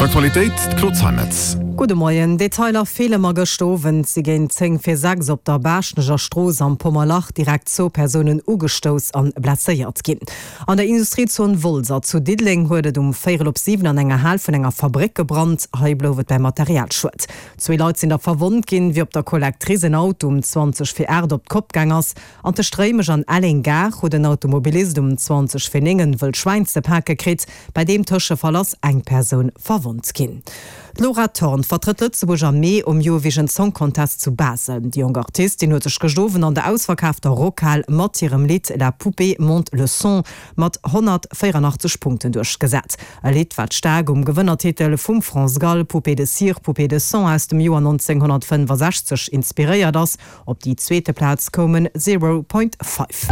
Aktualitéit, d'Claude Zeimetz. Gudde Moien. Detailer feele ma gëscht Owend si géint 10 vir 6 op der Baaschtnecher Strooss am Pommerlach direkt zwou Persounen ugestouss an blesséiert ginn. An der Industriezon Wolser zu Diddeleng huet et um véierel op 7 an enger Hal vun enger Fabréck gebrannt. Hei blouf et bäi Materialschued. Zwee Leit sinn da verwonnt ginn, wéi op der Collectrice en Auto um 20 vir 8 op d'Kopp gaang ass. An tëscht Réimech an Elleng-Gare huet en Automobilist um 20 vir 9 en wëllt Schwäin ze pake kritt. Bei deem Tëschefall ass eng Persoun verwonnt ginn. D'Laura Thorn vertrëtt Lëtzebuerg am Mee um Eurovision Song Contest zu Basel. Déi jonk Artistin huet sech gëscht Owend an der ausverkaafter Rockhal mat hirem Lidd La poupée monte le son mat 184 Punkten duerchgesat. E Lidd, wat staark um Gewënnertitel vum France Gall Poupée de cire, poupée de son aus dem Joer 1965 inspiréiert ass. Op déi zweete Plaz koumen Zero Point Five.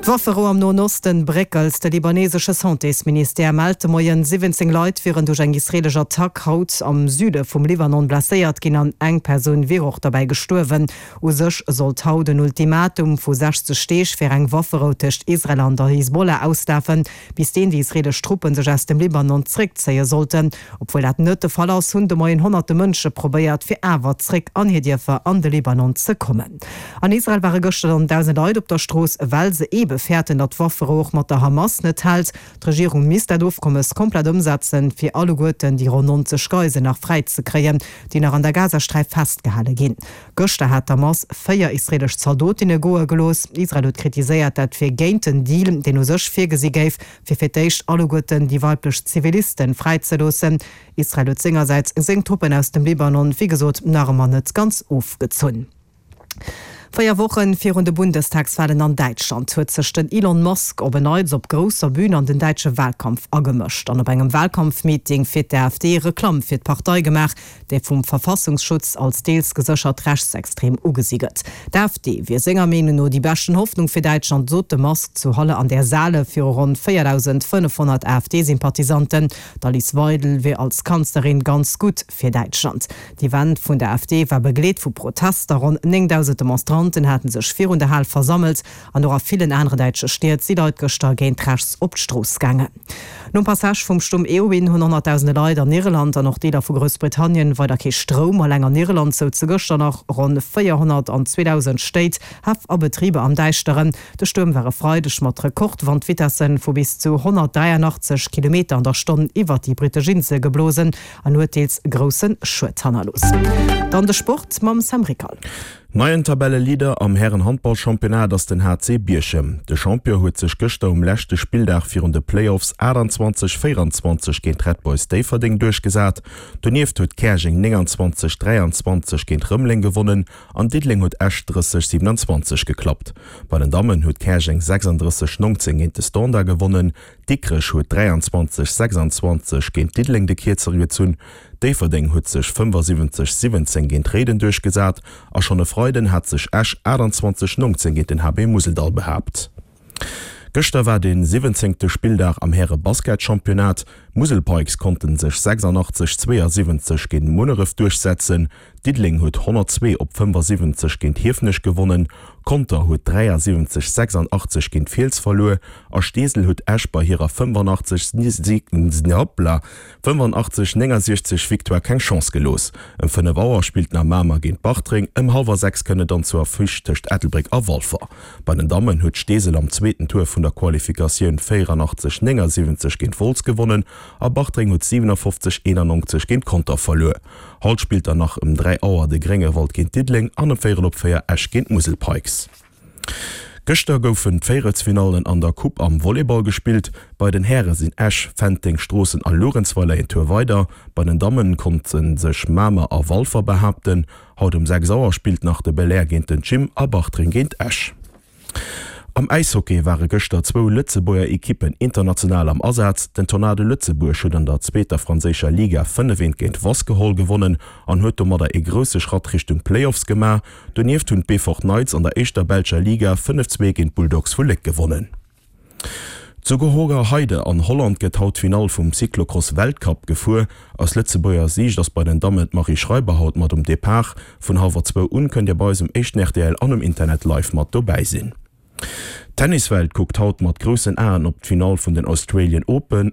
D'Wafferou am Noen Osten bréckelt. De libanesesche Santésministère mellt de Moien, 17 Leit wieren duerch eng israeelesch Attack haut am Süde vum Libanon blesséiert ginn an eng Persoun wier och derbäi gestuerwen. U sech sollt haut en Ultimatum vu 60 Deeg fir eng Wafferou tëscht Israel an der Hisbollah auslafen. Bis deen déi israelesch Truppen sech aus dem Libanon zréckzéie sollten. Obwuel dat net de Fall ass, hunn de Moien honnerte Mënsche probéiert, fir awer zréck an hir Dierfer an de Libanon ze kommen. An Israel ware gëschter dann dausende Leit op der Strooss, well se eebe fäerten, datt d'Wafferou och mat der Hamas net hält. D'Regierung misst dat Ofkommes komplett ëmsetzen, fir alleguerten déi ronn 90 Geisel nach fräi ze kréien, déi nach an der Gazasträif festgehale ginn. Gëschter hat d'Hamas 4 israelesch Zaldotinne goe gelooss. Israel huet kritiséiert, dat wier géint den Deal, deen u sech virgesi géif, fir fir d'éischt alleguerten déi weiblech Zivilisten fräizeloossen. Israel huet sengersäits seng Truppen aus dem Libanon, wéi gesot, nach ëmmer net ganz ofgezunn. 4 Woche virun de Bundestagswalen an Däitschland huet sech den Elon Musk op en Neits op grousser Bün an den däitsche Walkampf agemëscht an op engem Walkampfmeeting fir d'AfD Reklamm fir d'Partei gemaach, déi vum Verfassungsschutz als deels geséchert rechtsextrem ugesi gëtt. D'AfD wier senger Meenung no déi beschten Hoffnung fir Däitschland, sot de Musk zu Halle an der Saale viru ronn 4.500 AfD-Sympathisanten. D'Alice Weidel wier als Kanzlerin ganz gutt fir Däitschland. D'Event vun der AfD war begleet vu Protester. Ronn 9.000 Demonstranten hate sech virun der Hal versammelt an och a villen anere däitsche Stied si Leit gëschter géint rechts op d'Strooss gaangen. Nom Passage vum Stuerm Eowyn hunn honnertdausende Leit an Irland an och Deeler vu Groussbritannien weider kee Stroum. Alleng an Irland souze gëschter nach ronn 402.000 Stéit, Häff a Betriber am Däischteren. De Stuerm war e Freideg mat Rekordwandvitesse vu bis zu 183 Kilometer an der Stonn iwwert déi brittesch Insel geblosen an huet deels grousse Schued hannerlooss. Dann de Sport mam Sam Rickal. Neien Tabelleleader am Hären-Handball-Championnat ass den HC Bierchem. De Champion huet sech gëschter um leschte Spilldag virun de Playoffs 28, 24 géint d'Red Boys Déifferdeng duerchgesat. Donieft huet Käerjeng 29, 23 géint Rëmeleng gewonnen an Diddeleng huet Esch 30, 27 geklappt. Bei den Dammen huet Käerjeng 36, 19 géint de Standard gewonnen. Dikrech huet 23, 26 géint Diddeleng de Kierzere gezunn. Déifferdeng huet sech 75, 17 géint Réiden duerchgesat a schonn e Freiden hat sech Esch 28, 19 géint den HB Museldall behaapt. Gëschter war de siwwenzéngte Spilldag am Häre-Basketchampionnat. D'Musel Pikes konnte sech 86, 72 géint Munneref duerchsetzen. Diddeleng huet 102 op 75 géint Hiefenech gewonnen, Conter huet 73, 86 géint Fiels verluer a Steesel huet Esch bei hirer 85, 69 Victoire keng Chance gelooss. Ëm 5 Auer spillt nach Mamer géint Bartreng, ëm hallwer 6 kënnt et dann zur Affiche tëscht Ettelbréck a Walfer. Bei den Dammen huet Steesel am zweeten Tour vun der Qualifikatioun 84, 79 géint Wolz gewonnen a Bartreng huet 57, 91 géint Conter verluer. Haut spillt dann nach ëm 3 Auer de Gréngewald géint Diddeleng an ëm véierel op 4 Esch géint d'Musel Pikes. Gëschter goufen d'Véierelsfinallen an der Coupe am Volleyball gespillt. Bei den Häre sinn Esch, Fenteng, Stroossen a Luerenzweiler een Tour weider. Bei den Dammen konnte sech Mamer a Walfer behaapten. Haut um 6 Auer spillt nach de Belair géint den Gym a Bartreng géint Esch. Am Äishockey ware gëschter zwou Lëtzebuerger Ekippen international am Asaz. Den Tornado Lëtzebuerg huet an der zweeter franséischer Liga 5 eent géint Wasquehal gewonnen an huet domadder ee grousse Schratt Richtung Playoffs gemaach. Donieft hunn d'Beefort Knights an der éischter belscher Liga 5, 2 géint d'Bulldogs vu Léck gewonnen. Zu Hoogerheide an Holland gëtt haut d'Finall vum Cyclocross-Weltcup gefuer. Aus Lëtzebuerger Siicht ass bei den Dammen d'Marie Schreiber haut mat um Depart. Vun hallwer zwou un kënnt Dir bei eis um éischten rtl an um Internet live mat dobäi sinn. D'Tenniswelt kuckt haut mat groussen Aen op d'Finall vun den Australian Open.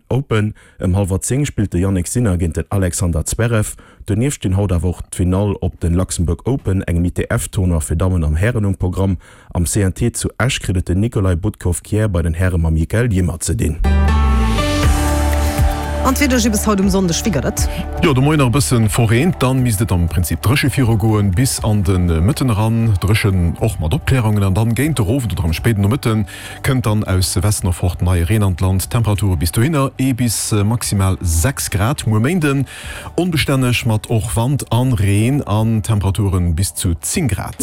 Ëm hallwer 10 spillt de Jannik Sinner géint den Alexander Zverev. Donieft stinn haut awer och d'Finall op den Luxembourg Open, engem ITF-Tournoi fir Dammen an Hären um Programm. Am CNT zu Esch kritt et den Nikolai Budkov-Kjær bei den Häre mam Mikael Ymer ze dinn. An d'Wieder gi bis haut um Sonndeg, wéi gëtt et? Jo, de Moien nach e bësse verreent, dann misst et am Prinzip dréche virugoen bis an de Mëtten eran. Dréchen och mat Opklärungen an dann géint de Owend oder am spéiden Nomëtte kënnt dann aus Westen erfort neie Reen an d'Land. Temperature bis dohinner ee bis maximal 6 Grad. Muer Méinden onbestänneg mat och Wand an Reen an Temperaturen bis zu 10 Grad.